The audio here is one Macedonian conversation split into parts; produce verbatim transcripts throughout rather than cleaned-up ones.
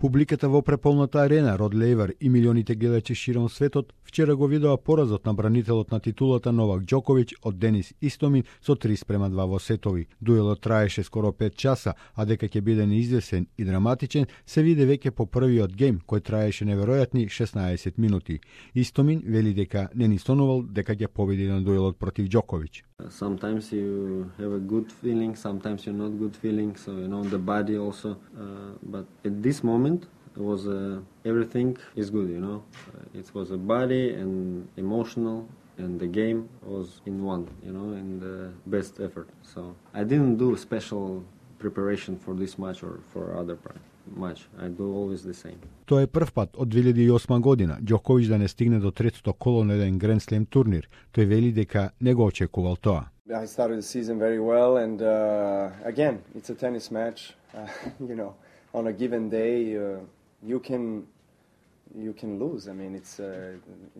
Публиката во преполната арена Род Лејвар и милионите гледачи широм светот вчера го видоа поразот на бранителот на титулата Новак Џоковиќ од Денис Истомин со три спрема два во сетови. Дуелот траеше скоро пет часа, а дека ќе биде неизвесен и драматичен се виде веќе по првиот гейм кој траеше неверојатни шеснаесет минути. Истомин вели дека не ни сонувал дека ќе победи на дуелот против Џоковиќ. Sometimes you have a good feeling, sometimes you're not good feeling, so you know the body also. Uh, but at this moment, it was uh, everything is good, you know. Uh, it was a body and emotional, and the game was in one, you know, in the best effort. So I didn't do special preparation for this match or for other match. I do always the same. Тоа е прв пат од две илјади и осма година Џоковиќ да не стигне до третото коло на еден Grand Slam турнир. Тој вели дека не го очекувал тоа. I started the season very well, and uh, again, it's a tennis match. Uh, you know, on a given day, uh, you can you can lose. I mean, it's uh,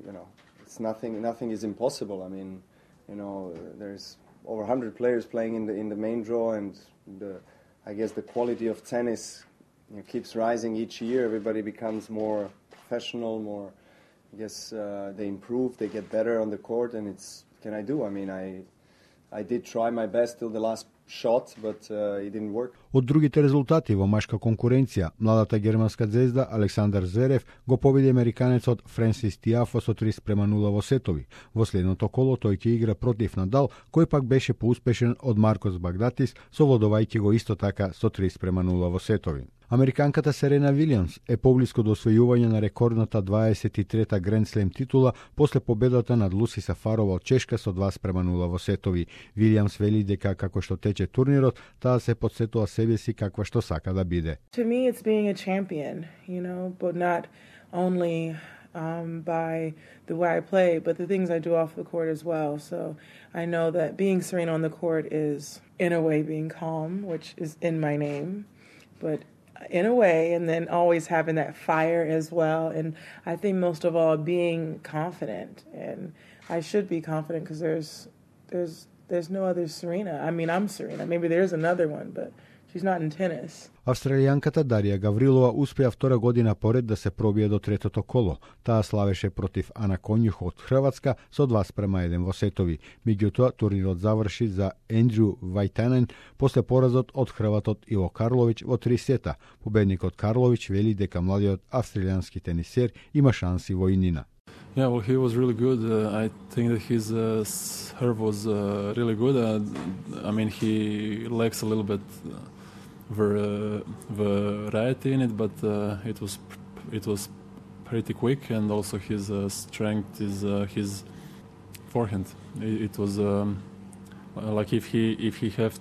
you know, it's nothing. Nothing is impossible. I mean, you know, there's over one hundred players playing in the in the main draw, and the I guess the quality of tennis, you know, keeps rising each year. Everybody becomes more professional, more. I guess uh, they improve, they get better on the court, and it's. What can I do? I mean, I. I did try my best till the last shot, but uh, it didn't work. Од другите резултати во машка конкуренција, младата германска звезда Александар Зверев го победи американецот Френсис Тиафо со три спрема нула во сетови. Во следното коло тој ќе игра против Надал, кој пак беше поуспешен од Маркос Багдатис, совладувајќи го исто така со три спрема нула во сетови. Американката Серена Вилијамс е поблиску до освојување на рекордната дваесет и трета Grand Slam титула после победата над Луси Сафарова од Чешка со два спрема нула во сетови. Вилијамс вели дека како што тече турнирот, таа се подсетува себе си каква што сака да биде. To me it's being a champion, you know, but not only um by the way I play, but the things I do off the court as well. So I know that being Serena on the court is in a way being calm, which is in my name, but in a way, and then always having that fire as well. And I think most of all, being confident. And I should be confident because there's, there's, there's no other Serena. I mean, I'm Serena. Maybe there's another one, but she's not in tennis. Австралијанката Дарија Гаврилова успеа втора година поред да се пробие до третото коло. Таа славеше против Ана Конјух од Хрватска со два спрема еден во сетови. Меѓутоа, турнирот заврши за Ендрю Вајтанен после поразот од хрватот Иво Карловиќ во три сета. Победникот Карловиќ вели дека младиот австралијански тенисер има шанси во иднина. Yeah, well, he was really good. Uh, I think that his uh, serve was uh, really good. Uh, I mean, he lacks a little bit uh, ver, variety in it, but uh, it was it was pretty quick, and also his uh, strength is uh, his forehand. It, it was um, like if he if he have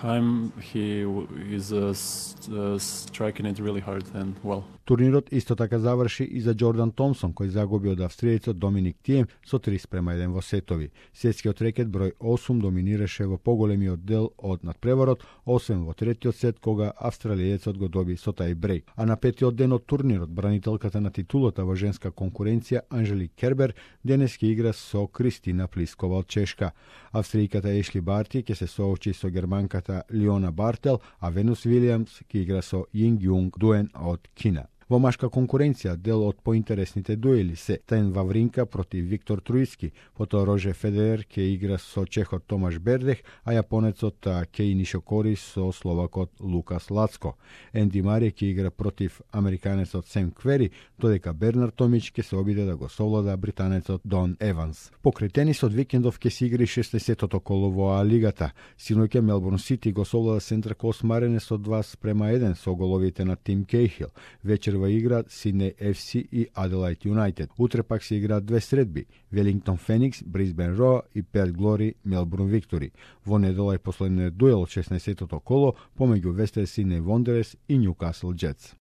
time, he is uh, uh, striking it really hard and well. Турнирот исто така заврши и за Џордан Томсон, кој загуби од австријецот Доминик Тием со три спрема еден во сетови. Светскиот рекет број осум доминираше во поголемиот дел од надпреварот, освен во третиот сет кога австралијецот го доби со тај бреј. А на петиот ден од турнирот, бранителката на титулата во женска конкуренција Анжелик Кербер денес ќе игра со Кристина Плискова од Чешка. Австријката Ешли Барти ќе се соочи со германката Лиона Бартел, а Венус Вилијамс ќе игра со Јинг Јунг Дуен од Кина. Во машка конкуренција, дел од поинтересните дуели се Тен Вавринка против Виктор Труиски, потоа Роже Федерер ќе игра со чехот Томаш Бердех, а јапонецот Кеј Нишокори со словакот Лукас Лацко. Енди Мари ќе игра против американецот Сем Квери, додека Бернар Томич ќе се обиде да го совлада британецот Дон Еванс. Покрај тенисот викендов ќе се игри шеснаесеттото коло во А лигата. Синоќа Мелбурн Сити го совлада Центар Кост Марине со два спрема еден со головите на Тим Кейхил. Вечер во игра Сиднеј Еф Си и Аделајд Юнајтед. Утре пак се играат две средби: Велингтон Феникс, Брисбен Роа и Перт Глори, Мелбурн Виктори. Во недела е последниот дуел од шеснаесеттото коло помеѓу Вестер Сиднеј Вондерерс и Нјукасл Джетс.